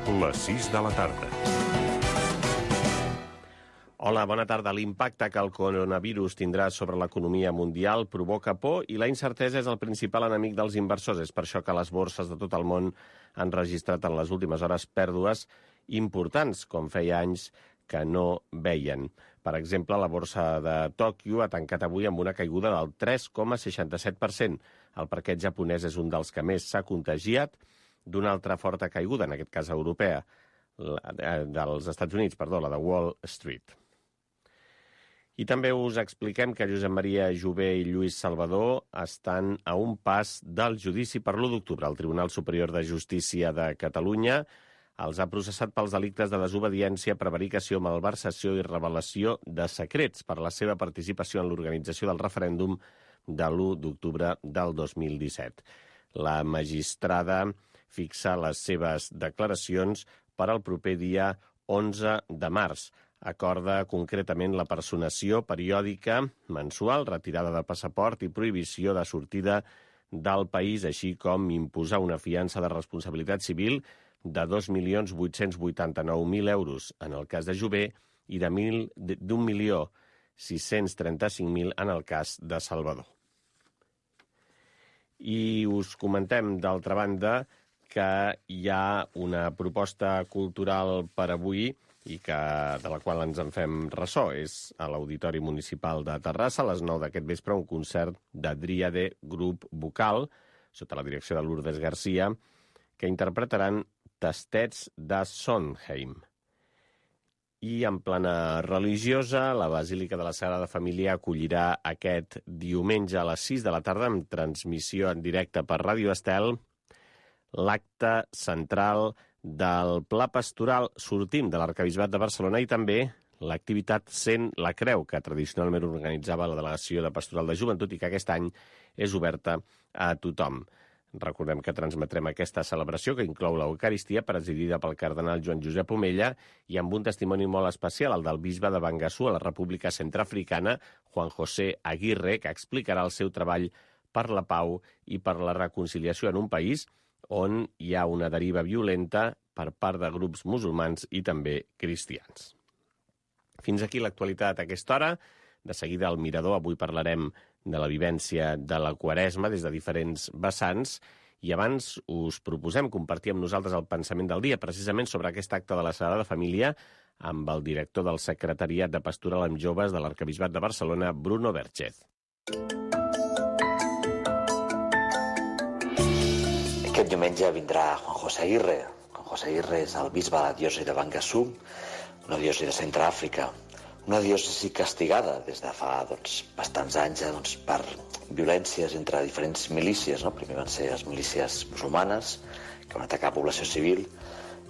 Les 6 de la tarda. Hola, bona tarda. L'impacte que el coronavirus tindrà sobre l'economia mundial provoca por i la incertesa és el principal enemic dels inversors. És per això que les borses de tot el món han registrat en les últimes hores pèrdues importants, com feia anys que no veien. Per exemple, la borsa de Tòquio ha tancat avui amb una caiguda del 3,67%. El parquet japonès és un dels que més s'ha contagiat d'una altra forta caiguda, en aquest cas europea, dels Estats Units, la de Wall Street. I també us expliquem que Josep Maria Jové i Lluís Salvador estan a un pas del judici per l'1 d'octubre. El Tribunal Superior de Justícia de Catalunya els ha processat pels delictes de desobediència, prevaricació, malversació i revelació de secrets per la seva participació en l'organització del referèndum de l'1 d'octubre del 2017. La magistrada fixa les seves declaracions per al proper dia 11 de març. Acorda concretament la personació periòdica mensual, retirada de passaport i prohibició de sortida del país, així com imposar una fiança de responsabilitat civil de 2.889.000 euros en el cas de Jové i de 1.635.000 en el cas de Salvador. I us comentem, d'altra banda, que hi ha una proposta cultural per avui i de la qual ens en fem ressò. És a l'Auditori Municipal de Terrassa, a les 9 d'aquest vespre, un concert de Dríade Grup Vocal, sota la direcció de Lourdes Garcia, que interpretaran Tastets de Sondheim. I en plana religiosa, la Basílica de la Sagrada Família acollirà aquest diumenge a les 6 de la tarda, amb transmissió en directe per Ràdio Estel, l'acte central del Pla Pastoral Sortim de l'Arquebisbat de Barcelona i també l'activitat Sent la Creu, que tradicionalment organitzava la Delegació de Pastoral de Joventut i que aquest any és oberta a tothom. Recordem que transmetrem aquesta celebració, que inclou l'Eucaristia, presidida pel cardenal Joan Josep Omella, i amb un testimoni molt especial, el del bisbe de Bangassou, a la República Centreafricana, Juan José Aguirre, que explicarà el seu treball per la pau i per la reconciliació en un país on hi ha una deriva violenta per part de grups musulmans i també cristians. Fins aquí l'actualitat a aquesta hora. De seguida al Mirador. Avui parlarem de la vivència de la Quaresma des de diferents vessants i abans us proposem compartir amb nosaltres el pensament del dia, precisament sobre aquest acte de la Sagrada Família, amb el director del Secretariat de Pastoral amb Joves de l'Arquebisbat de Barcelona, Bruno Vergés. Aquest diumenge vindrà Juan José Aguirre. Juan José Aguirre és el bisbe de la diòcesi de Bangassou, una diòcesi de Centreàfrica, una diòcesi castigada des de fa bastants anys per violències entre diferents milícies. Primer van ser les milícies musulmanes, que van atacar població civil,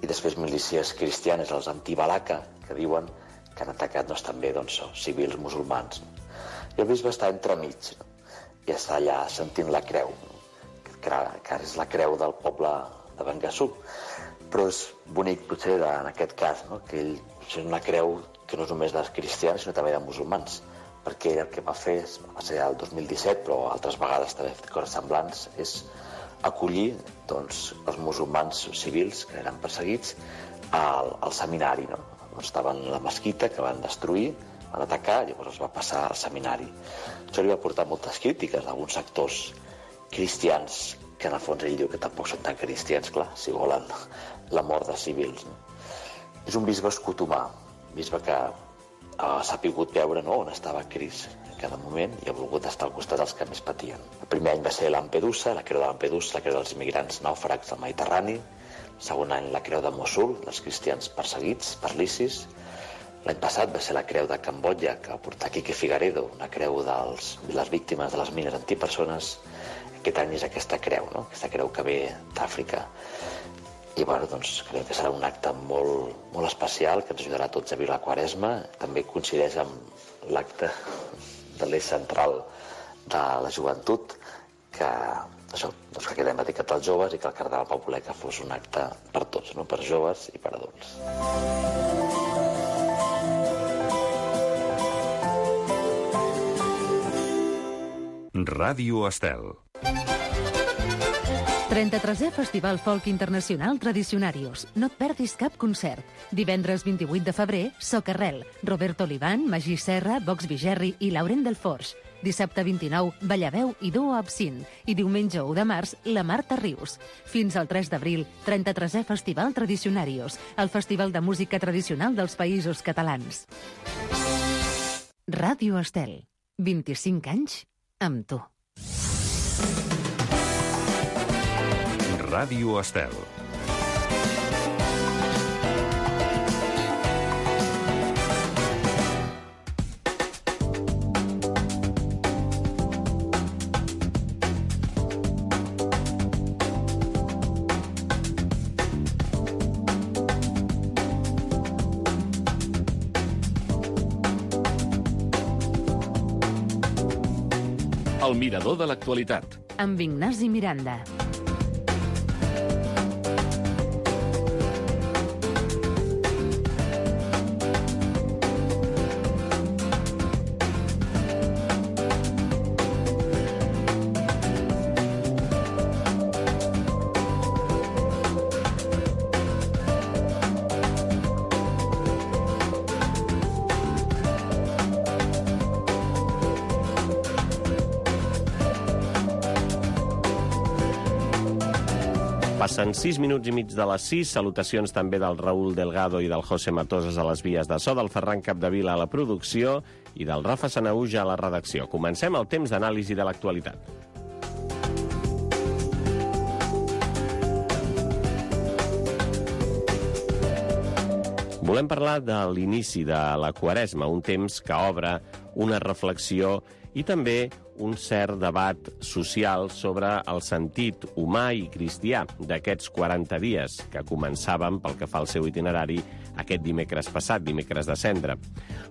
i després milícies cristianes, els anti-Balaka, que diuen que han atacat també civils musulmans. I el bisbe està entremig i està allà sentint la creu, que ara és la creu del poble de Bangassou. Però és bonic, potser, en aquest cas, que ell és una creu que no és només dels cristians, sinó també de musulmans, perquè ell el que va fer, va ser el 2017, però altres vegades també ha fet coses semblants, és acollir els musulmans civils que eren perseguits al seminari. Estaven a la mesquita, que van destruir, van atacar, llavors es va passar al seminari. Això li va portar moltes crítiques d'alguns sectors cristians, que en el fons ell diu que tampoc són tan cristians, clar, si volen la mort de civils. És un bisbe escotomà, un bisbe que ha sabut veure on estava Crist en cada moment i ha volgut estar al costat dels que més patien. El primer any va ser Lampedusa, la creu de Lampedusa, la creu dels immigrants nàufrags del Mediterrani. El segon any la creu de Mossul, dels cristians perseguits per l'ISIS. L'any passat va ser la creu de Cambodja, que va portar Quique Figaredo, una creu de les víctimes de les mines antipersones. Aquest any és aquesta creu, aquesta creu que ve d'Àfrica. I crec que serà un acte molt especial, que ens ajudarà a tots a viure la Quaresma. També coincideix amb l'acte de l'eix central de la joventut, que quedem dedicat als joves i que el cardenal va voler que fos un acte per tots, per joves i per adults. Ràdio Estel. 33è Festival Folk Internacional Tradicionarios. No et perdis cap concert. Divendres 28 de febrer, Socarrel, Roberto Olivan, Magí Serra, Vox Vigerri i Laurent Delforge. Dissabte 29, Ballaveu i Duo Absint. I diumenge 1 de març, la Marta Rius. Fins al 3 d'abril, 33è Festival Tradicionarios, el festival de música tradicional dels Països Catalans. Ràdio Estel. 25 anys amb tu. Ràdio Estel. El mirador de l'actualitat. Amb Ignasi Miranda. Passen 6 minuts i mig de les 6. Salutacions també del Raül Delgado i del José Matosas a les vies de so, del Ferran Capdevila a la producció i del Rafa Sanaúja a la redacció. Comencem el temps d'anàlisi de l'actualitat. Volem parlar de l'inici de la Quaresma, un temps que obre una reflexió i també un cert debat social sobre el sentit humà i cristià d'aquests 40 dies que començàvem, pel que fa al seu itinerari, aquest dimecres passat, dimecres de Cendra.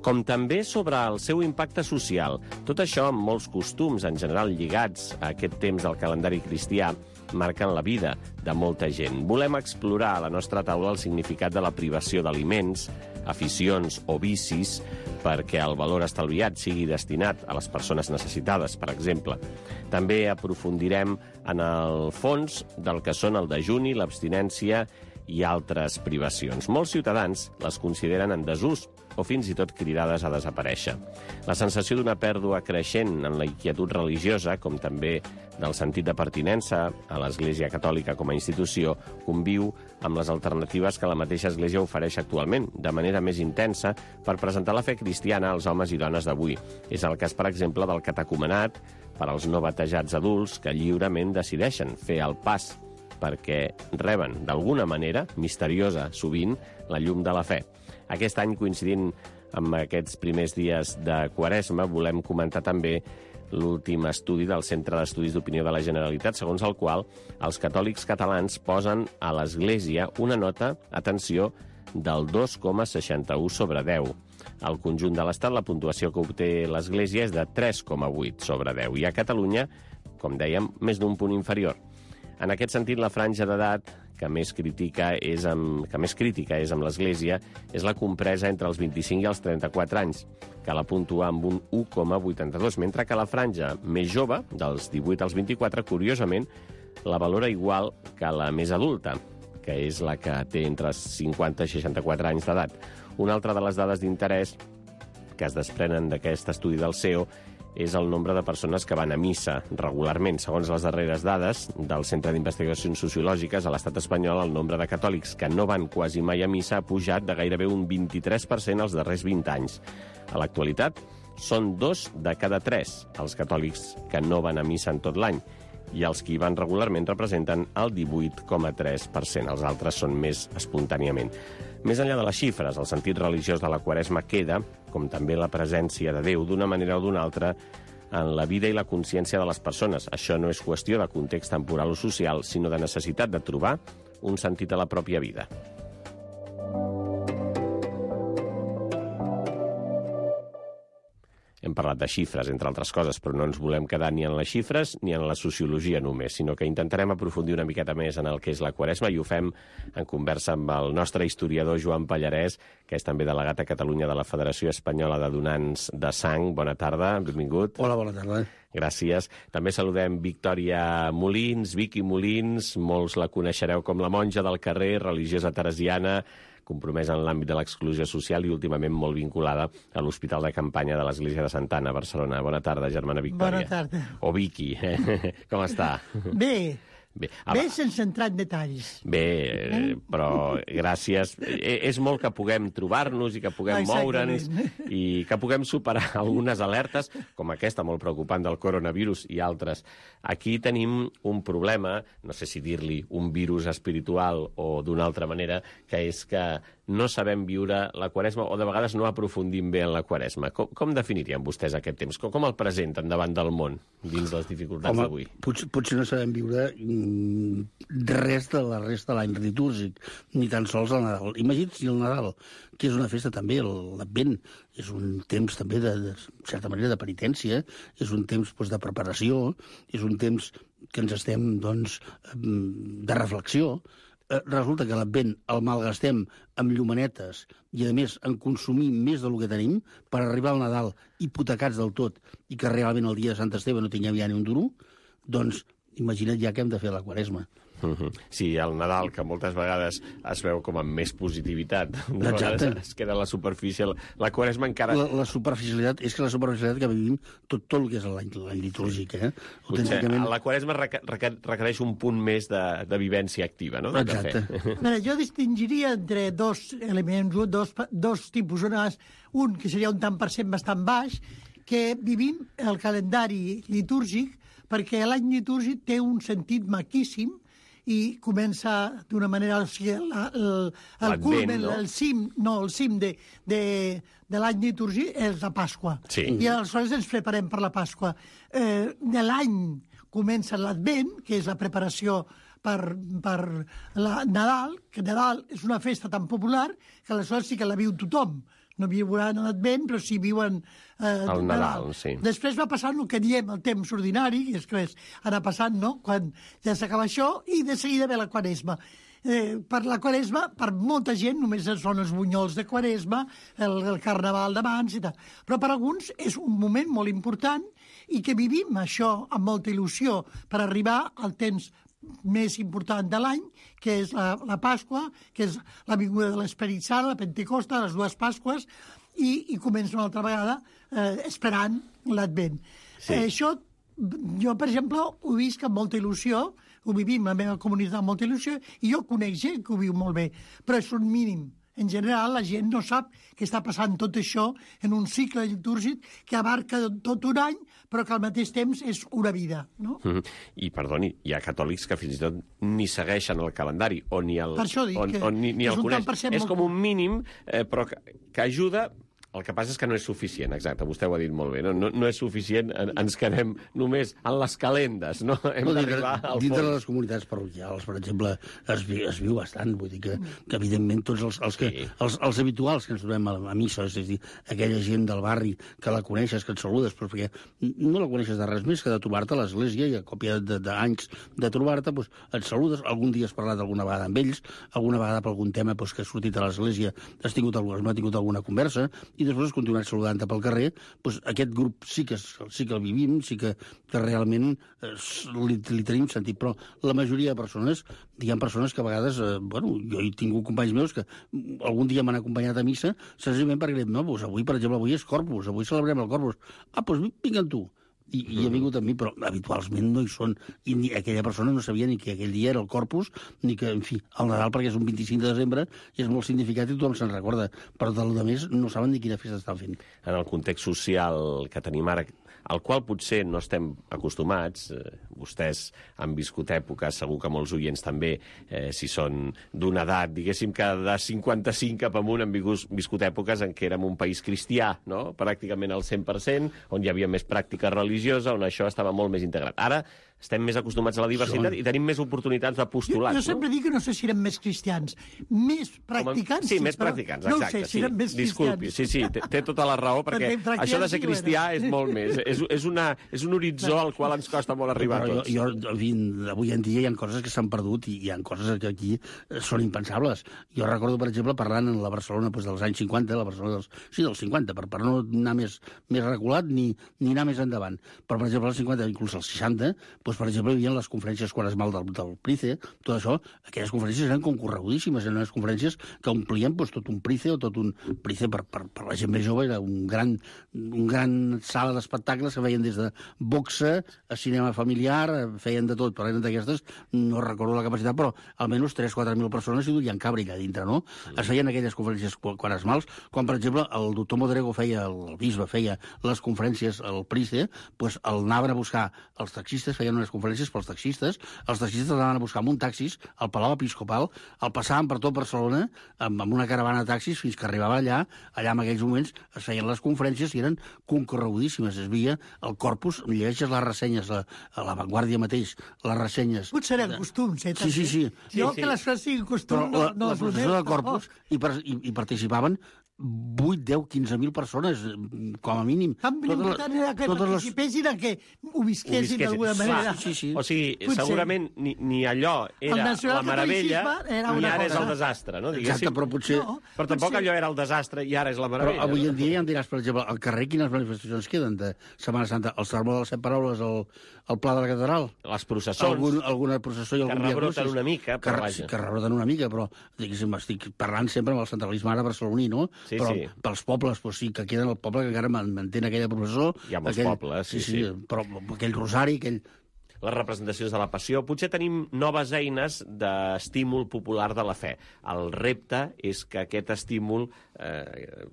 Com també sobre el seu impacte social. Tot això amb molts costums, en general lligats a aquest temps del calendari cristià, marquen la vida de molta gent. Volem explorar a la nostra taula el significat de la privació d'aliments, aficions o vicis, perquè el valor estalviat sigui destinat a les persones necessitades, per exemple. També aprofundirem en el fons del que són el dejuni, l'abstinència i altres privacions. Molts ciutadans les consideren en desús o fins i tot cridades a desaparèixer. La sensació d'una pèrdua creixent en la inquietud religiosa, com també del sentit de pertinença a l'Església Catòlica com a institució, conviu amb les alternatives que la mateixa Església ofereix actualment, de manera més intensa, per presentar la fe cristiana als homes i dones d'avui. És el cas, per exemple, del catecumenat per als no batejats adults que lliurement decideixen fer el pas perquè reben, d'alguna manera, misteriosa, sovint, la llum de la fe. Aquest any, coincidint amb aquests primers dies de Quaresma, volem comentar també l'últim estudi del Centre d'Estudis d'Opinió de la Generalitat, segons el qual els catòlics catalans posen a l'Església una nota, atenció, del 2,61 sobre 10. Al conjunt de l'Estat, la puntuació que obté l'Església és de 3,8 sobre 10. I a Catalunya, com dèiem, més d'un punt inferior. En aquest sentit, la franja d'edat que més crítica és amb l'Església és la compresa entre els 25 i els 34 anys, que la puntua amb un 1,82, mentre que la franja més jove, dels 18 als 24, curiosament, la valora igual que la més adulta, que és la que té entre 50 i 64 anys d'edat. Una altra de les dades d'interès que es desprenen d'aquest estudi del CEO és el nombre de persones que van a missa regularment. Segons les darreres dades del Centre d'Investigacions Sociològiques, a l'estat espanyol el nombre de catòlics que no van quasi mai a missa ha pujat de gairebé un 23% els darrers 20 anys. A l'actualitat, són 2 de cada 3 els catòlics que no van a missa en tot l'any, i els que hi van regularment representen el 18,3%. Els altres són més espontàniament. Més enllà de les xifres, el sentit religiós de la Quaresma queda, com també la presència de Déu, d'una manera o d'una altra, en la vida i la consciència de les persones. Això no és qüestió de context temporal o social, sinó de necessitat de trobar un sentit a la pròpia vida. Hem parlat de xifres, entre altres coses, però no ens volem quedar ni en les xifres ni en la sociologia només, sinó que intentarem aprofundir una miqueta més en el que és la Quaresma, i ho fem en conversa amb el nostre historiador Joan Pallarès, que és també delegat a Catalunya de la Federació Espanyola de Donants de Sang. Bona tarda, benvingut. Hola, bona tarda. Gràcies. També saludem Victòria Molins, Vicky Molins, molts la coneixereu com la monja del carrer, religiosa teresiana, compromesa en l'àmbit de l'exclusió social i últimament molt vinculada a l'Hospital de Campanya de l'Església de Santa Anna, a Barcelona. Bona tarda, germana Victòria. Bona tarda. O Vicky, com està? Bé, sense entrar en detalls. Bé, però gràcies. És molt que puguem trobar-nos i que puguem moure'ns i que puguem superar algunes alertes, com aquesta molt preocupant del coronavirus i altres. Aquí tenim un problema, no sé si dir-li un virus espiritual o d'una altra manera, que és que no sabem viure la Quaresma o de vegades no aprofundim bé en la Quaresma. Com definirien vostès aquest temps? Com el presenten davant del món dins les dificultats d'avui? Potser no sabem viure res de la resta de l'any litúrgic, ni tan sols el Nadal. Imagina't si el Nadal, que és una festa també, l'Advent, és un temps també de certa manera de penitència, és un temps de preparació, és un temps que ens estem, de reflexió. Resulta que l'Advent el malgastem amb llumanetes i, a més, en consumir més del que tenim per arribar al Nadal hipotecats del tot i que realment el dia de Sant Esteve no tinguem ja ni un duro, doncs imagina't ja què hem de fer a la Quaresma. Sí, el Nadal, que moltes vegades es veu com amb més positivitat. De vegades es queda a la superfície. La Quaresma encara... La superficialitat, és que la superficialitat que vivim tot el que és l'any litúrgic, Potser la Quaresma requereix un punt més de vivència activa, no? Exacte. Jo distingiria entre dos elements, dos tipus. Un que seria un tant per cent bastant baix, que vivim el calendari litúrgic perquè l'any litúrgic té un sentit maquíssim i comença d'una manera, o sigui, el culmen, el cim de l'any litúrgic és la Pasqua. Sí. I aleshores ens preparem per la Pasqua. De l'any comença l'Advent, que és la preparació per Nadal, que Nadal és una festa tan popular que aleshores sí que la viu tothom. No viuran l'Advent, però sí viuen el Nadal, sí. Després va passant el que diem el temps ordinari, que és que anar passant, no?, quan ja s'acaba això, i de seguida ve la Quaresma. Per la Quaresma, per molta gent, només són els bunyols de Quaresma, el Carnaval d'abans i tal. Però per alguns és un moment molt important i que vivim això amb molta il·lusió per arribar al temps més important de l'any, que és la Pasqua, que és la vinguda de l'Esperit Sant, la Pentecosta, les dues Pasques, i comença una altra vegada esperant l'Advent. Sí. Això, jo, per exemple, ho visc amb molta il·lusió, ho vivim a la meva comunitat amb molta il·lusió, i jo conec gent que ho viu molt bé, però és un mínim. En general, la gent no sap que està passant tot això en un cicle litúrgic que abarca tot un any, però que al mateix temps és una vida, no? I, perdoni, hi ha catòlics que fins i tot ni segueixen el calendari, o ni el, per això dic ni el coneix. És com un mínim, però que ajuda. El que passa és que no és suficient, exacte, vostè ho ha dit molt bé, no és suficient, ens quedem només en les calendes, no? Hem d'arribar al fons. Dintre de les comunitats parroquials, per exemple, es viu bastant, vull dir que evidentment tots els habituals que ens trobem a missa, és a dir, aquella gent del barri que la coneixes, que et saludes, però perquè no la coneixes de res més que de trobar-te a l'església i a còpia d'anys de trobar-te, doncs et saludes, algun dia has parlat alguna vegada amb ells, alguna vegada per algun tema que ha sortit a l'església has tingut alguna conversa, i després has continuat saludant-te pel carrer, doncs aquest grup sí que el vivim, sí que realment li tenim sentit, però la majoria de persones, hi ha persones que a vegades, jo he tingut companys meus que algun dia m'han acompanyat a missa, senzillament perquè no, doncs avui, per exemple, avui és Corpus, avui celebrem el Corpus. Doncs vinga tu. I ha vingut amb mi, però habitualment no hi són. I aquella persona no sabia ni que aquell dia era el Corpus, ni que, en fi, el Nadal, perquè és un 25 de desembre, i és molt significatiu i tothom se'n recorda. Però del més no saben ni quina festa estan fent. En el context social que tenim ara, al qual potser no estem acostumats, vostès han viscut èpoques, segur que molts oients també, si són d'una edat, diguéssim que de 55 cap amunt han viscut èpoques en què érem un país cristià, no? Pràcticament al 100%, on hi havia més pràctica religiosa, on això estava molt més integrat. Ara estem més acostumats a la diversitat i tenim més oportunitats de postulats. Jo sempre dic que no sé si eren més cristians. Més practicants, sí, més practicants, exacte. No sé si eren més disculpi, cristians. Sí, té tota la raó, perquè això de ser cristià és molt més. És un horitzó al qual ens costa molt arribar a tots. Avui en dia hi ha coses que s'han perdut i hi ha coses que aquí són impensables. Jo recordo, per exemple, parlant en la Barcelona dels anys 50, la Barcelona dels 50, per no anar més reculat ni anar més endavant. Però, per exemple, als 50, inclús als 60, per exemple, hi havia les conferències quaresmal del Price, tot això, aquelles conferències eren concorregudíssimes, eren unes conferències que omplien tot un Price o tot un Price per la gent més jove, era un gran sala d'espectacles que feien des de boxa a cinema familiar, feien de tot, però eren d'aquestes, no recordo la capacitat, però almenys 3.000-4.000 persones hi duien cabra allà dintre, no? Es feien aquelles conferències quaresmals, quan, per exemple, el doctor Modrego el bisbe feia les conferències al Price, doncs el anaven a buscar els taxistes, feien unes conferències pels taxistes, els taxistes anaven a buscar amb un taxis al Palau Episcopal, el passaven per tot Barcelona amb una caravana de taxis fins que arribava allà en aquells moments es feien les conferències i eren concorregudíssimes, es veia el corpus, llegeixes les ressenyes a La Vanguardia mateix, les ressenyes... Potser eren costums, també. Sí. Jo que les coses siguin costums no la processó de corpus hi participaven 8, 10, 15.000 persones, com a mínim. L'important era que participessin, que ho visquessin d'alguna manera. Sí. O sigui, segurament ni allò era la meravella, ni ara és el desastre, no? Exacte, però potser... Però tampoc allò era el desastre i ara és la meravella. Però avui en dia ja em diràs, per exemple, al carrer quines manifestacions queden de Setmana Santa? El sermó de les 7 paraules al Pla de la Catedral? Les processons. Alguna processó i algun dia... Que rebroten una mica, però vaja. Que rebroten una mica, però estic parlant sempre amb el centralisme ara barceloní, no? Sí. Pels pobles, sí, que queden el poble que encara mantén aquella processó. Hi ha molts pobles, sí. Però aquell rosari, les representacions de la passió. Potser tenim noves eines d'estímul popular de la fe. El repte és que aquest estímul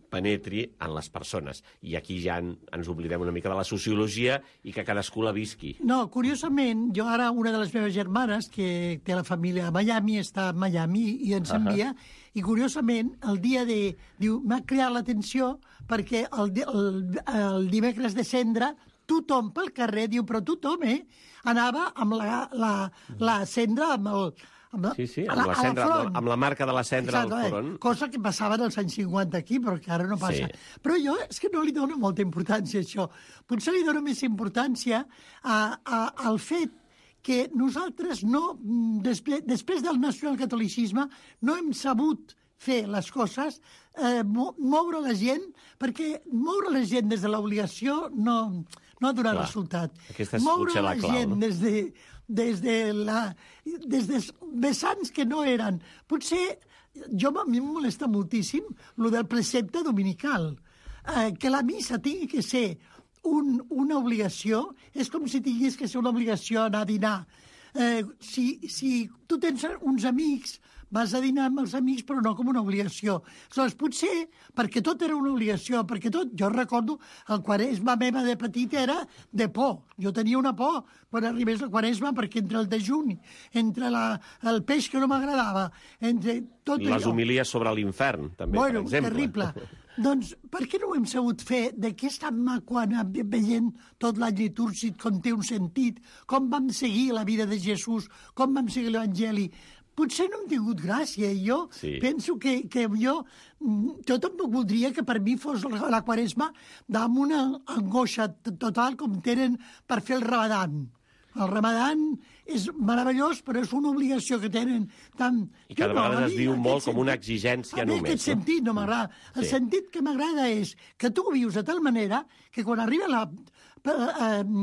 penetri en les persones. I aquí ja ens oblidem una mica de la sociologia i que cadascú la visqui. No, curiosament, jo ara, una de les meves germanes, que té la família a Miami, està a Miami i ens envia, i curiosament, el dia diu, m'ha creat l'atenció perquè el dimecres de Cendra tothom pel carrer, diu, però tothom, anava amb la cendra, amb la cendra, amb la marca de la cendra al front. Cosa que passava en els anys 50 aquí, però que ara no passa. Sí. Però jo és que no li dono molta importància a això. Potser li dono més importància al fet que nosaltres després del nacionalcatolicisme, no hem sabut fer les coses, moure la gent, perquè moure la gent des de l'obligació no ha donat resultat. Aquesta és potser la clau, gent des de vessants que no eren. Potser, a mi em molesta moltíssim lo del precepte dominical. Que la missa tingui que ser una obligació, és com si tingués que ser una obligació anar a dinar. Si tu tens uns amics, vas a dinar amb els amics, però no com una obligació. Aleshores, potser, perquè tot era una obligació, jo recordo, el Quaresma meva de petit era de por. Jo tenia una por quan arribés el Quaresma, perquè entre el dejuni, entre el peix que no m'agradava, entre tot allò... Les homilies sobre l'infern, també, per exemple. Terrible. Doncs per què no ho hem sabut fer? De què és tan maco anar veient tot l'any litúrgic, com té un sentit, com vam seguir la vida de Jesús, com vam seguir l'Evangeli? Potser no hem tingut gràcia, i jo penso que jo tampoc voldria que per mi fos la Quaresma amb una angoixa total com tenen per fer el Ramadan. El Ramadan és meravellós, però és una obligació que tenen tant... I cada vegada es viu molt com una exigència només. En aquest sentit no m'agrada. El sentit que m'agrada és que tu ho vius de tal manera que quan arriba la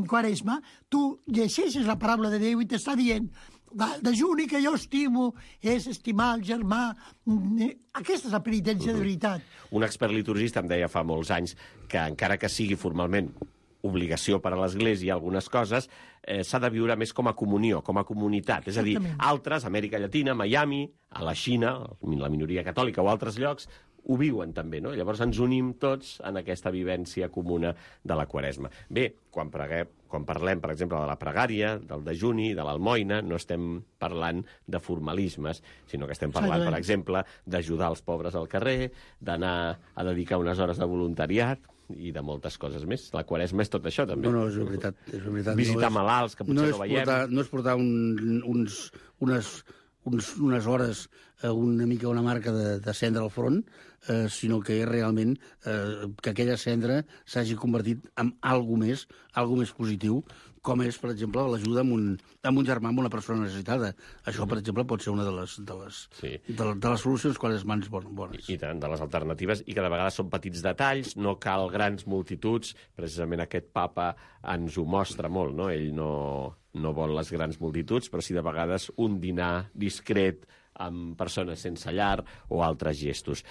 Quaresma tu llegeixes la paraula de Déu i t'està dient el dejuni que jo estimo és estimar el germà. Aquesta és la penitència de veritat. Un expert liturgista em deia fa molts anys que encara que sigui formalment obligació per a l'Església algunes coses, s'ha de viure més com a comunió, com a comunitat. És a dir, altres, Amèrica Llatina, Miami, a la Xina, la minoria catòlica o altres llocs, ho viuen també, no? Llavors ens unim tots en aquesta vivència comuna de la Quaresma. Bé, quan parlem, per exemple, de la pregària, del dejuni, de l'almoina, no estem parlant de formalismes, sinó que estem parlant, per exemple, d'ajudar els pobres al carrer, d'anar a dedicar unes hores de voluntariat. i de moltes coses més. La Quaresma és tot això, també. No, és veritat. Visitar malalts, que potser no veiem. No és portar unes hores una mica una marca de cendra al front, sinó que és realment que aquella cendra s'hagi convertit en alguna més positiu, com és, per exemple, l'ajuda amb un germà, amb una persona necessitada. Això, per exemple, pot ser una de les solucions quan és mans bones. I tant, de les alternatives, i que de vegades són petits detalls, no cal grans multituds. Precisament aquest papa ens ho mostra molt, no? Ell no vol les grans multituds, però sí de vegades un dinar discret amb persones sense llar o altres gestos.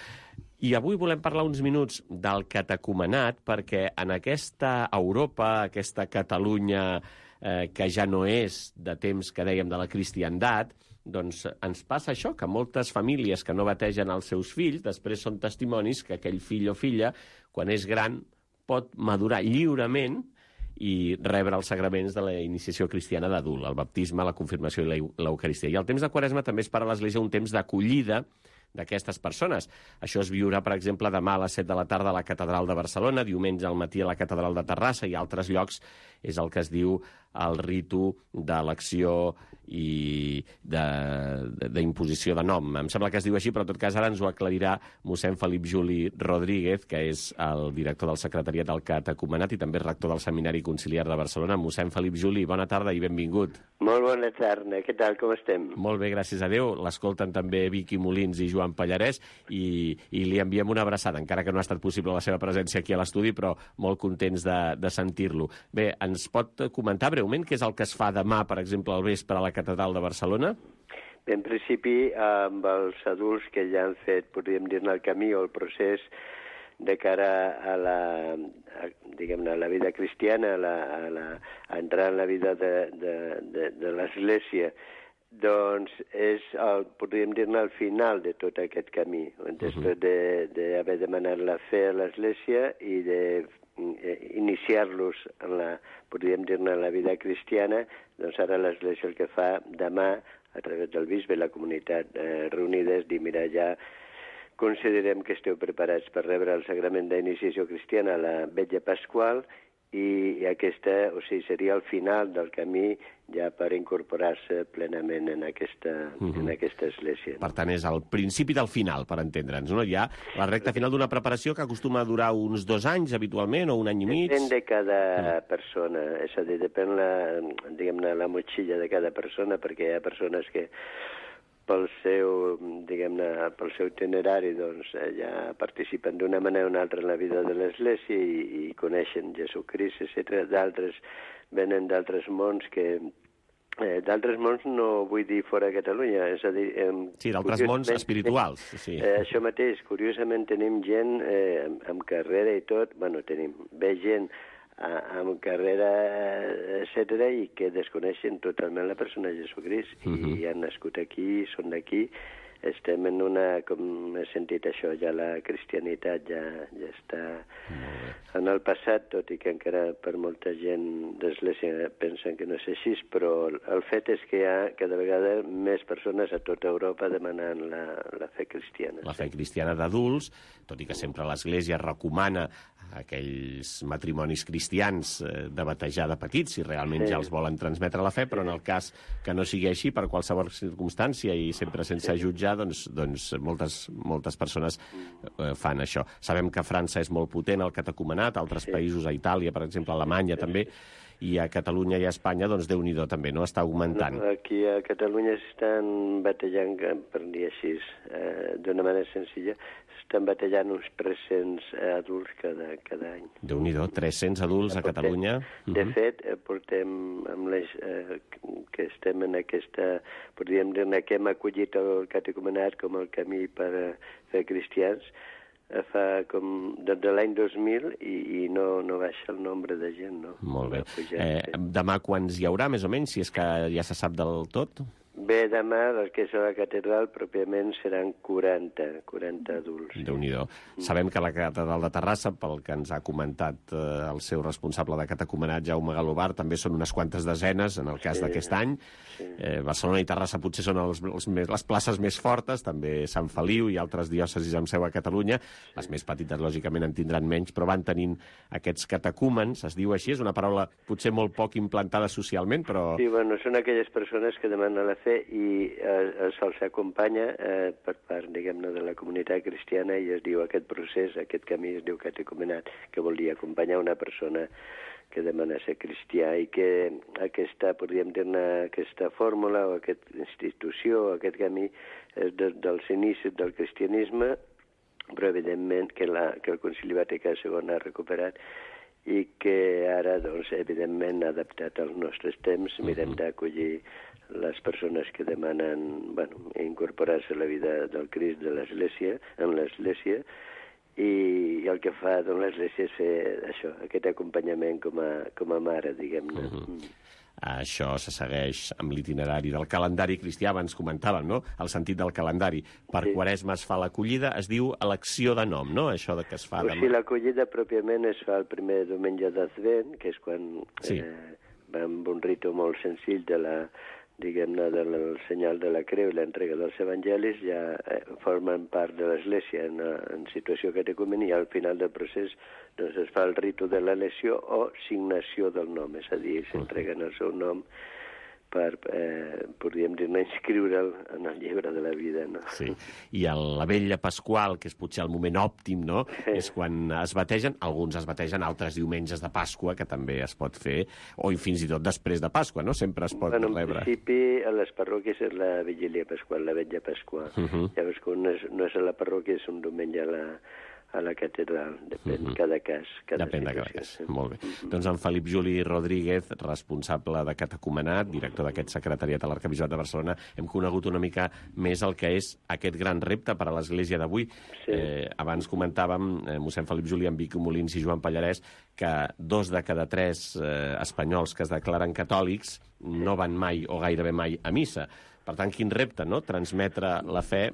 I avui volem parlar uns minuts del catecumenat, perquè en aquesta Europa, aquesta Catalunya que ja no és de temps que dèiem de la cristiandat, doncs ens passa això, que moltes famílies que no bategen els seus fills després són testimonis que aquell fill o filla, quan és gran, pot madurar lliurement i rebre els sagraments de la iniciació cristiana d'adult, el baptisme, la confirmació i l'Eucaristia. I el temps de Quaresma també és per a l'Església un temps d'acollida d'aquestes persones. Això es viurà, per exemple, demà a les 7 de la tarda a la Catedral de Barcelona, diumenge al matí a la Catedral de Terrassa i a altres llocs és el que es diu el ritu d'elecció i d'imposició de nom. Em sembla que es diu així, però en tot cas ara ens ho aclarirà mossèn Felip Juli Rodríguez, que és el director del secretariat del catecumenat i també rector del Seminari Conciliar de Barcelona. Mossèn Felip Juli, bona tarda i benvingut. Molt bona tarda, què tal, com estem? Molt bé, gràcies a Déu. L'escolten també Vicky Molins i Joan Pallarès i li enviem una abraçada, encara que no ha estat possible la seva presència aquí a l'estudi, però molt contents de sentir-lo. Bé, ens pot comentar breument què és el que es fa demà, per exemple, al vespre a la Catedral de Barcelona? Bé, en principi, amb els adults que ja han fet, podríem dir-ne, el camí o el procés de cara a la vida cristiana, a entrar en la vida de l'Església, doncs és, podríem dir-ne, al final de tot aquest camí, després d'haver demanat la fe a l'Església i d'iniciar-los podríem dir-ne, en la vida cristiana, doncs ara l'Església el que fa demà, a través del bisbe i la comunitat reunida, és dir, mira, ja considerem que esteu preparats per rebre el sagrament d'iniciació cristiana a la Vetlla Pasqual i aquesta, o sigui, seria el final del camí ja per incorporar-se plenament en aquesta església. Per tant, és el principi del final, per entendre'ns, no? Hi ha la recta final d'una preparació que acostuma a durar uns 2 anys, habitualment, o un any i mig. Depèn de cada persona, és a dir, depèn la motxilla de cada persona, perquè hi ha persones que pel seu itinerari doncs, ja participen d'una manera o una altra en la vida de l'Església i coneixen Jesucrist, etc. D'altres venen d'altres mons que... d'altres mons no vull dir fora de Catalunya, és a dir... Sí, d'altres mons espirituals. Sí. Això mateix, curiosament tenim gent amb carrera i tot, ve gent amb carrera, etc., i que desconeixen totalment la persona de Jesucrist i han nascut aquí, són d'aquí. Estem en una, com he sentit això, ja la cristianitat ja està en el passat, tot i que encara per molta gent d'Església pensen que no és així, però el fet és que hi ha cada vegada més persones a tota Europa demanant la fe cristiana. La fe cristiana d'adults, tot i que sempre l'Església recomana aquells matrimonis cristians de batejar de petits, si realment ja els volen transmetre la fe, però en el cas que no sigui així, per qualsevol circumstància i sempre sense jutjar, doncs moltes persones fan això. Sabem que a França és molt potent el catecumenat, altres països, a Itàlia, per exemple, a Alemanya també, i a Catalunya i a Espanya, doncs Déu-n'hi-do també, no? Està augmentant. Aquí a Catalunya s'estan batejant, per dir així, d'una manera senzilla, s'estan batejant uns 300 adults cada any. Déu-n'hi-do, 300 adults a Catalunya. De fet, portem que estem en aquesta, podríem dir-ne que hem acollit el catecumenat com el camí per fer cristians, fa com des de l'any 2000 i no baixa el nombre de gent, no? Molt bé. Demà quants hi haurà, més o menys, si és que ja se sap del tot? Bé, demà, el que és a la catedral, pròpiament seran 40 adults. Déu-n'hi-do. Sabem que la catedral de Terrassa, pel que ens ha comentat el seu responsable de catecumenat, Jaume Galobar, també són unes quantes desenes, en el cas d'aquest any. Barcelona i Terrassa potser són les places més fortes, també Sant Feliu i altres diòcesis amb seu a Catalunya. Les més petites, lògicament, en tindran menys, però van tenint aquests catecúmens, es diu així, és una paraula potser molt poc implantada socialment, però... Sí, bueno, són aquelles persones que demanen la fe i se'ls acompanya per part, diguem-ne, de la comunitat cristiana i es diu aquest procés, aquest camí es diu catecumenat, que vol dir acompanyar una persona que demana ser cristià i que aquesta, podríem dir-ne, aquesta fórmula o aquesta institució o aquest camí és dels inicis del cristianisme, però evidentment que el Concili Vaticà II ha recuperat i que ara, doncs, evidentment, adaptat als nostres temps, mirem d'acollir les persones que demanen, bueno, incorporar-se a la vida del Crist de l'Església, en l'Església, i el que fa doncs, l'Església és fer això, aquest acompanyament com a mare, diguem-ne. Això se segueix amb l'itinerari del calendari cristià, abans comentàvem, no?, el sentit del calendari. Per Quaresma es fa l'acollida, es diu elecció de nom, no?, això que es fa demà. Sí, l'acollida pròpiament es fa el primer diumenge d'Advent, que és quan va amb un ritu molt senzill de la, diguem-ne, del senyal de la creu i l'entrega dels evangelis, ja formen part de l'Església en situació catecúmena i al final del procés doncs, es fa el ritu de l'elecció o signació del nom, és a dir, s'entreguen el seu nom per, podríem dir-ne, inscriure'l en el llibre de la vida, no? Sí, i la vetlla pasqual, que és potser el moment òptim, no?, és quan es bategen, alguns es bategen altres diumenges de Pasqua, que també es pot fer, o fins i tot després de Pasqua, no?, sempre es pot rebre. En principi, a les parròquies és la vigília pasqual, la vetlla pasqual. Llavors, quan no és a la parròquia, és un diumenge a la catedral, depèn cada cas. Depèn de cada cas, molt bé. Doncs en Felip Juli Rodríguez, responsable de catecumenat, director d'aquest secretariat a l'Arquebisbat de Barcelona, hem conegut una mica més el que és aquest gran repte per a l'Església d'avui. Abans comentàvem, mossèn Felip Juli, en Vic Molins i Joan Pallarès, que 2 de cada 3 espanyols que es declaren catòlics no van mai o gairebé mai a missa. Per tant, quin repte, no?, transmetre la fe,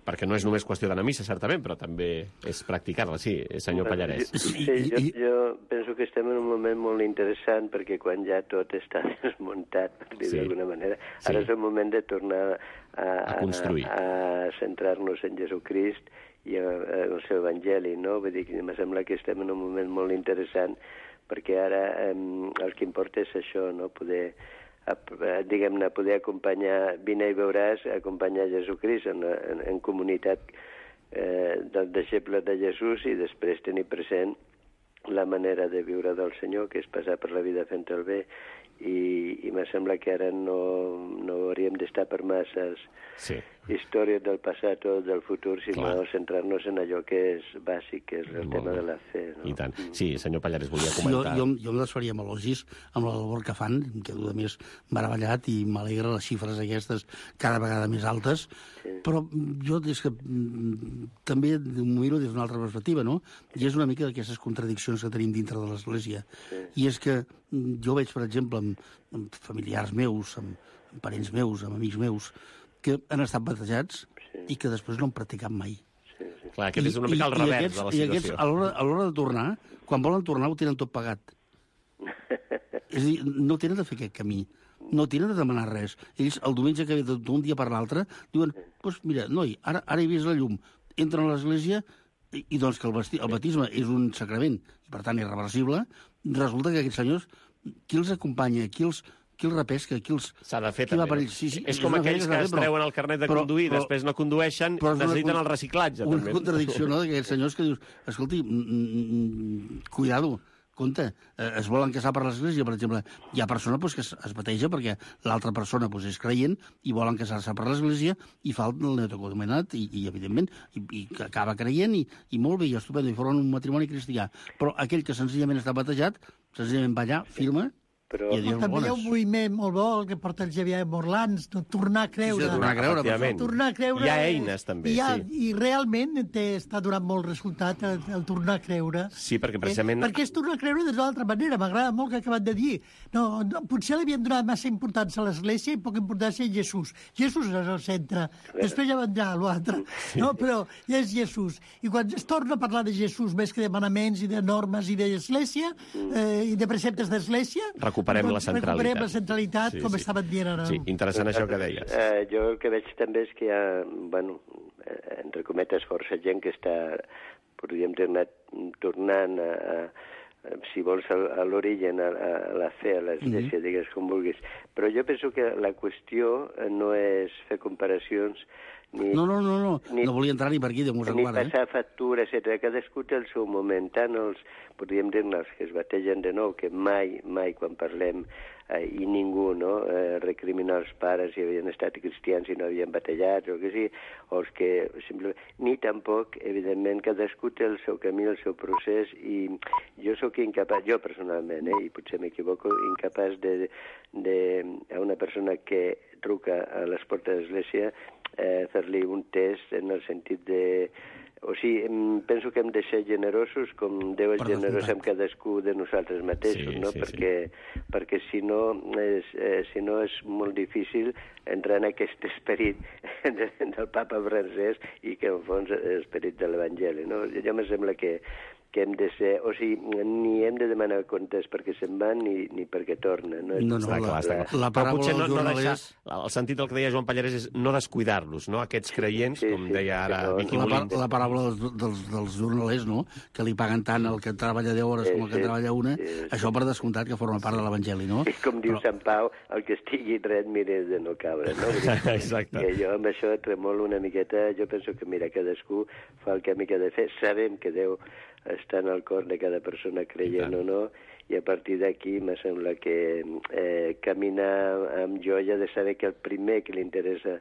perquè no és només qüestió d'anar a missa, certament, però també és practicar-la, sí, senyor Pallarès. Sí, jo penso que estem en un moment molt interessant, perquè quan ja tot està desmuntat, per dir d'alguna manera, ara és el moment de tornar a centrar-nos en Jesucrist i el seu evangeli, no? Vull dir que em sembla que estem en un moment molt interessant, perquè ara el que importa és això, no?, diguem-ne, poder acompanyar, vine i veuràs, acompanyar Jesucrist en comunitat del deixeble de Jesús i després tenir present la manera de viure del Senyor, que és passar per la vida fent el bé, i me sembla que ara no hauríem d'estar per masses històries del passat o del futur, sinó centrar-nos en allò que és bàsic, que és el tema de la fe. No? I tant. Sí, senyor Pallarès, volia comentar... Jo em desfaria amb elogis amb la labor que fan, em quedo de més meravellat i m'alegra les xifres aquestes cada vegada més altes, però jo és que també m'ho miro des d'una altra perspectiva, no? I és una mica d'aquestes contradiccions que tenim dintre de l'Església. I és que jo veig, per exemple, amb familiars meus, amb parents meus, amb amics meus, que han estat batejats i que després no han practicat mai. Clar, aquest és una mica el revers de la situació. I aquests, a l'hora de tornar, quan volen tornar, ho tenen tot pagat. És a dir, no tenen de fer aquest camí. No tenen de demanar res. Ells, el diumenge que ve d'un dia per l'altre, diuen, doncs mira, noi, ara he vist la llum. Entren a l'església i doncs que el batisme és un sacrament, i per tant irreversible, resulta que aquests senyors, qui els acompanya, qui els repesca, s'ha de fer, també. És com aquells que es treuen el carnet de conduir, després no condueixen, necessiten el reciclatge. Una contradicció, no?, d'aquests senyors que dius, escolti, cuidado, compte, es volen casar per l'Església, per exemple. Hi ha persona que es bateja perquè l'altra persona és creient i volen casar-se per l'Església i fa el neocatecumenat i evidentment, i acaba creient i molt bé, i estupendo, i formen un matrimoni cristià. Però aquell que senzillament està batejat, senzillament va allà, firma, Però... I a dir També hi ha un moviment molt bo el que porta el Xavier Morlans, tornar a creure. Sí, tornar a creure, efectivament. Tornar a creure... Hi ha eines, també, I realment està donant molt resultat el tornar a creure. Sí, perquè precisament... Perquè és tornar a creure d'una altra manera. M'agrada molt que acabat de dir. No, potser li havien donat massa importància a l'Església i poca importància a Jesús. Jesús és el centre. Després ja vendrà l'altre. No, però ja és Jesús. I quan es torna a parlar de Jesús més que de manaments i de normes i d'Església i de preceptes d'Església... Recuperem la centralitat. Recuperem la centralitat, com estaven dient ara. Sí, interessant això que deies. Jo el que veig també és que hi ha, bueno, entre cometes, força gent que està, podríem dir, tornant si vols, a l'origen, a la fe, a l'Església, digues com vulguis. Però jo penso que la qüestió no és fer comparacions ni... No volia entrar ni per aquí, Déu-nos en guarda. Ni passar factura, etc. Cadascú té el seu moment. Tant els, podríem dir-ne, els que es bategen de nou, que mai, quan parlem, i ningú, no?, recrimina els pares si havien estat cristians i no havien batejat, o que sí, o els que simplement... Ni tampoc, evidentment, cadascú té el seu camí, el seu procés, i jo sóc incapaç, jo personalment, i potser m'equivoco, incapaç a una persona que truca a les portes de l'Església fer-li un test en el sentit de... O sigui, penso que hem de ser generosos com Déu és generós amb cadascú de nosaltres mateixos, no? Perquè si no és molt difícil entrar en aquest esperit del papa francès i que en fons és l'esperit de l'Evangeli, no? Jo em sembla que hem de ser... O sigui, ni hem de demanar comptes perquè se'n van ni perquè tornen. No, està clar. La paràbola dels jornalers... El sentit del que deia Joan Pallarès és no descuidar-los, no? Aquests creients, com deia ara Vicky Molins. La paràbola dels jornalers, no?, que li paguen tant el que treballa 10 hores com el que treballa una, això per descomptat que forma part de l'Evangeli, no? I com diu Sant Pau, el que estigui dret mira de no caure, no? Exacte. Que jo amb això tremolo una miqueta, jo penso que, mira, cadascú fa el que ha de fer, sabem que Déu està en el cor de cada persona creient o no, i a partir d'aquí me sembla que caminar amb joia de saber que el primer que li interessa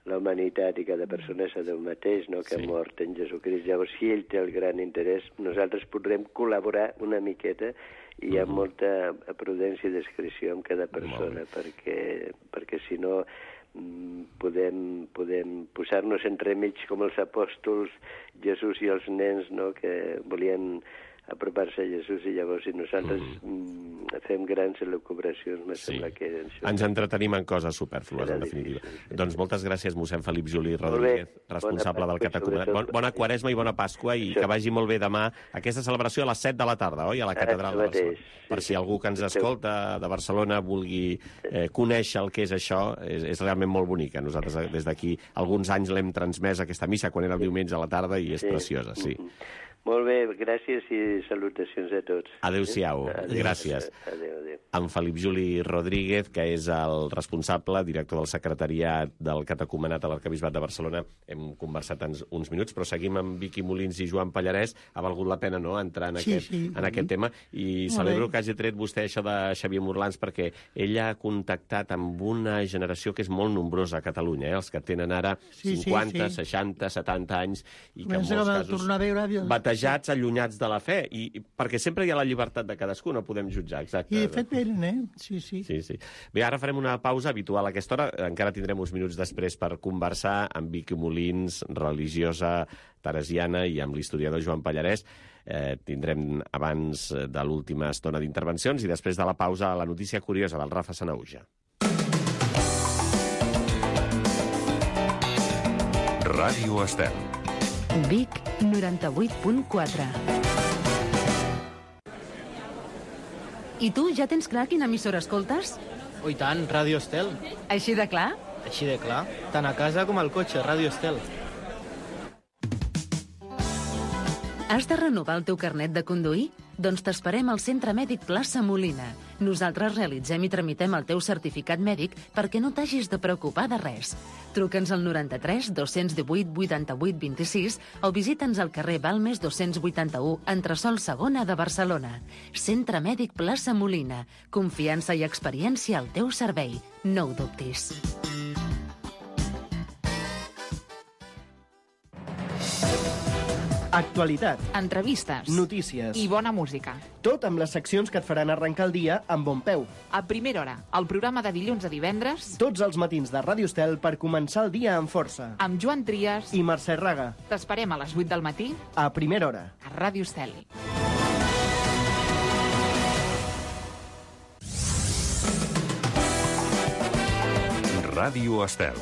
la humanitat i cada persona és a Déu mateix, no?, que ha mort en Jesucrist. Llavors, si ell té el gran interès, nosaltres podrem col·laborar una miqueta i amb molta prudència i discreció amb cada persona, perquè si no podem posar-nos entremig com els apòstols, Jesús i els nens, no?, que volien apropar-se a Jesús i llavors si nosaltres fem grans elucubracions, me sembla que... Ens entretenim en coses supèrflues, en definitiva. Doncs moltes gràcies, mossèn Felip Juli Rodríguez, responsable del Catecumenat. Bona Quaresma i bona Pasqua, i que vagi molt bé demà aquesta celebració a les 7 de la tarda, oi?, a la Catedral de Barcelona. Per si algú que ens escolta de Barcelona vulgui conèixer el que és això, és realment molt bonica. Nosaltres des d'aquí alguns anys l'hem transmès aquesta missa quan era el diumenge a la tarda i és preciosa, sí. Molt bé, gràcies i salutacions a tots. Adéu-siau, gràcies. Adéu. En Felip Juli Rodríguez, que és el responsable, director del secretariat del Catecumenat a l'Arquebisbat de Barcelona. Hem conversat uns minuts, però seguim amb Vicky Molins i Joan Pallarès. Ha valgut la pena, no?, entrar en aquest tema. I celebro que hagi tret vostè això de Xavier Morlans, perquè ell ha contactat amb una generació que és molt nombrosa a Catalunya, els que tenen ara 50, 60, 70 anys, i que en molts casos batejats, allunyats de la fe, i perquè sempre hi ha la llibertat de cadascú, no podem jutjar, exacte. I de fet venen, Sí. Bé, ara farem una pausa habitual a aquesta hora, encara tindrem uns minuts després per conversar amb Vicky Molins, religiosa teresiana, i amb l'historiador Joan Pallarès. Tindrem abans de l'última estona d'intervencions i després de la pausa la notícia curiosa del Rafa Sanauja. Ràdio Estel. Vic 98.4. I tu ja tens clar quina emissora escoltes? Oh, i tant, Ràdio Estel. Així de clar? Així de clar. Tant a casa com al cotxe, Ràdio Estel. Has de renovar el teu carnet de conduir? Doncs t'esperem al Centre Mèdic Plaça Molina. Nosaltres realitzem i tramitem el teu certificat mèdic perquè no t'hagis de preocupar de res. Truca'ns al 93 218 88 26 o visita'ns al carrer Balmes 281, entresòl segona de Barcelona. Centre Mèdic Plaça Molina. Confiança i experiència al teu servei. No ho dubtis. Actualitat, entrevistes, notícies i bona música. Tot amb les seccions que et faran arrencar el dia amb bon peu. A primera hora, el programa de dilluns a divendres, Tots els matins de Ràdio Estel per començar el dia amb força. amb Joan Trias. I Mercè Raga, T'esperem a les 8 del matí a primera hora. a Ràdio Estel. Ràdio Estel.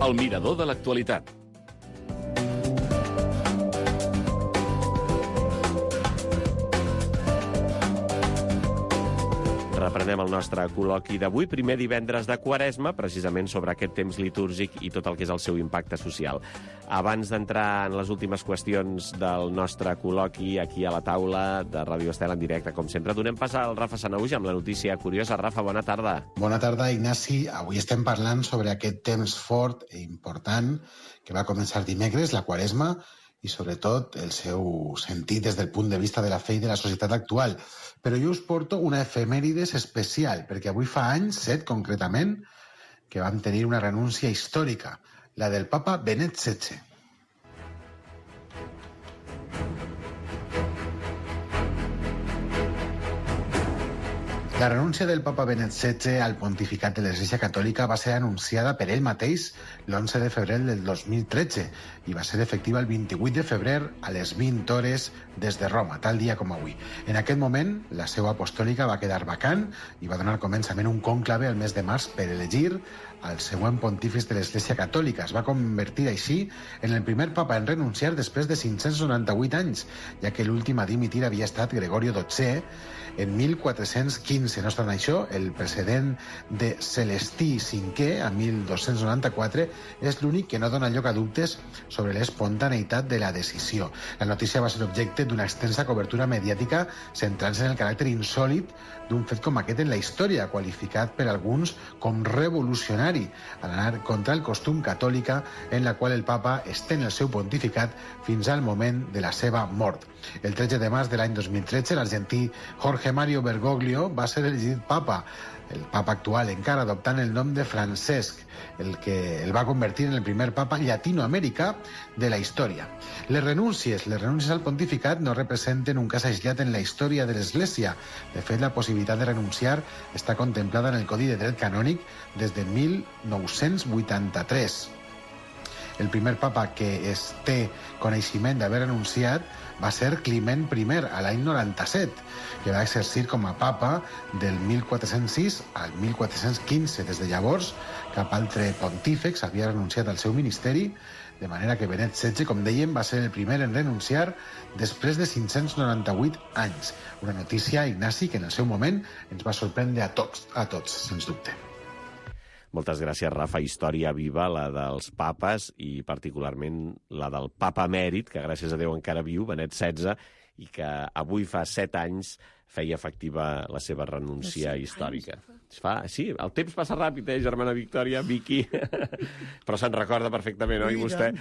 El mirador de l'actualitat. Reprenem el nostre col·loqui d'avui, primer divendres de Quaresma, precisament sobre aquest temps litúrgic i tot el que és el seu impacte social. Abans d'entrar en les últimes qüestions del nostre col·loqui aquí a la taula de Ràdio Estel en directe, com sempre, donem pas al Rafa Sanahuja amb la notícia curiosa. Rafa, bona tarda. Bona tarda, Ignasi. Avui estem parlant sobre aquest temps fort i important que va començar dimecres, la Quaresma, i sobretot el seu sentit des del punt de vista de la fe i de la societat actual. Però jo us porto una efemèrides especial, perquè avui fa anys, 7 concretament, que vam tenir una renúncia històrica, la del papa Benet XVI. La renúncia del papa Benet XVI al pontificat de l'Església Catòlica va ser anunciada per ell mateix l'11 de febrer del 2013 i va ser efectiva el 28 de febrer a les 20 hores des de Roma, tal dia com avui. En aquest moment, la seu apostòlica va quedar vacant i va donar començament un conclave el mes de març per elegir el següent pontífice de l'Església Catòlica. Es va convertir així en el primer papa en renunciar després de 598 anys, ja que l'últim a dimitir havia estat Gregorio XII en 1415. No obstant això, el precedent de Celestí V, a 1294, és l'únic que no dona lloc a dubtes sobre l'espontaneïtat de la decisió. La notícia va ser objecte d'una extensa cobertura mediàtica centrant-se en el caràcter insòlit d'un fet com aquest en la història, qualificat per alguns com revolucionari, al anar contra el costum catòlica en la qual el papa estén el seu pontificat fins al moment de la seva mort. El 13 de març de l'any 2013, l'argentí Jorge Mario Bergoglio va ser elegit papa, el papa actual encara adoptant el nom de Francesc, el que el va convertir en el primer papa llatinoamericà de la història. Les renúncies al pontificat no representen un cas aïllat en la història de l'Església. De fet, la possibilitat de renunciar està contemplada en el Codi de Dret Canònic des de 1983. El primer papa que es té coneixement d'haver renunciat va ser Climent I, a l'any 97, que va exercir com a papa del 1406 al 1415. Des de llavors, cap altre pontífex havia renunciat al seu ministeri, de manera que Benet XVI, com dèiem, va ser el primer en renunciar després de 598 anys. Una notícia, Ignasi, que en el seu moment ens va sorprendre a tots, sens dubte. Moltes gràcies, Rafa. Història viva, la dels papes, i particularment la del papa emèrit, que gràcies a Déu encara viu, Benet XVI, i que avui fa 7 anys feia efectiva la seva renúncia històrica. Sí, el temps passa ràpid, germana Victòria, Vicky, però se'n recorda perfectament, oi, vostè?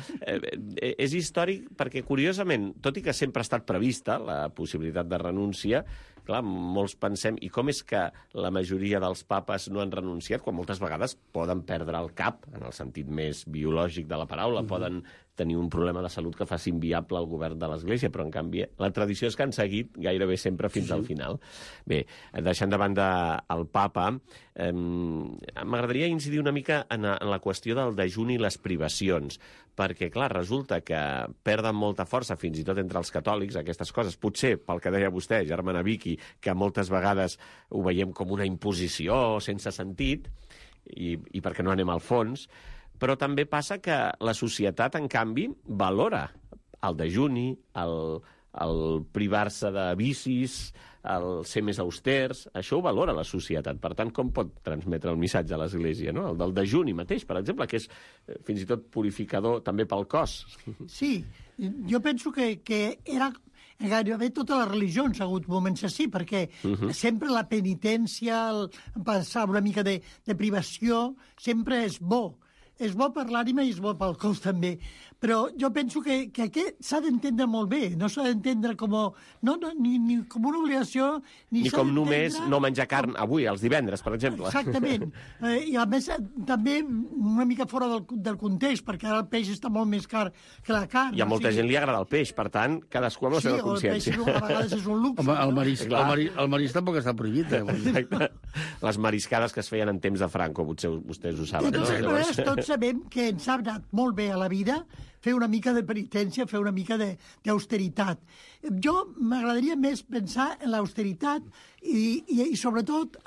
És històric perquè, curiosament, tot i que sempre ha estat prevista la possibilitat de renúncia, clar, molts pensem, i com és que la majoria dels papes no han renunciat, quan moltes vegades poden perdre el cap, en el sentit més biològic de la paraula, poden tenir un problema de salut que faci inviable el govern de l'Església, però en canvi la tradició és que han seguit gairebé sempre fins al final. Bé, deixant de banda el papa, m'agradaria incidir una mica en la qüestió del dejuni i les privacions, perquè, clar, resulta que perden molta força, fins i tot entre els catòlics, aquestes coses. Potser, pel que deia vostè, germana Vicky, que moltes vegades ho veiem com una imposició sense sentit, i perquè no anem al fons, però també passa que la societat, en canvi, valora el dejuni, el privar-se de vicis, el ser més austers, això ho valora la societat. Per tant, com pot transmetre el missatge a l'Església, no? El del dejuni mateix, per exemple, que és fins i tot purificador també pel cos. Sí, jo penso que era gairebé totes les religions ha hagut moments així, perquè sempre la penitència, passar una mica de privació, sempre és bo. És bo per l'ànima i és bo pel cos també. Però jo penso que aquest s'ha d'entendre molt bé, no s'ha d'entendre ni com una obligació, ni com només no menjar carn avui, els divendres, per exemple. Exactament. I a més, també una mica fora del context, perquè ara el peix està molt més car que la carn. I a molta gent li agrada el peix, per tant, cadascú amb la seva consciència. Sí, el peix a vegades és un luxe. Home, el marisc tampoc està prohibit. Exacte. Les mariscades que es feien en temps de Franco, potser vostès ho saben. De totes maneres, tots sabem que ens ha anat molt bé a la vida fer una mica de penitència, fer una mica d'austeritat. Jo m'agradaria més pensar en l'austeritat i sobretot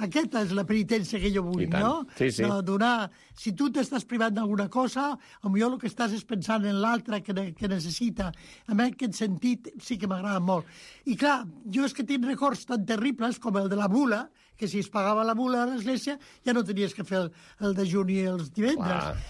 aquesta és la penitència que jo vull, no? Sí, sí. Donar, si tu t'estàs privant d'alguna cosa, potser el que estàs és pensant en l'altre que necessita. En aquest sentit sí que m'agrada molt. I clar, jo és que tinc records tan terribles com el de la bula, que si es pagava la bula a l'església ja no tenies que fer el dejuni els divendres.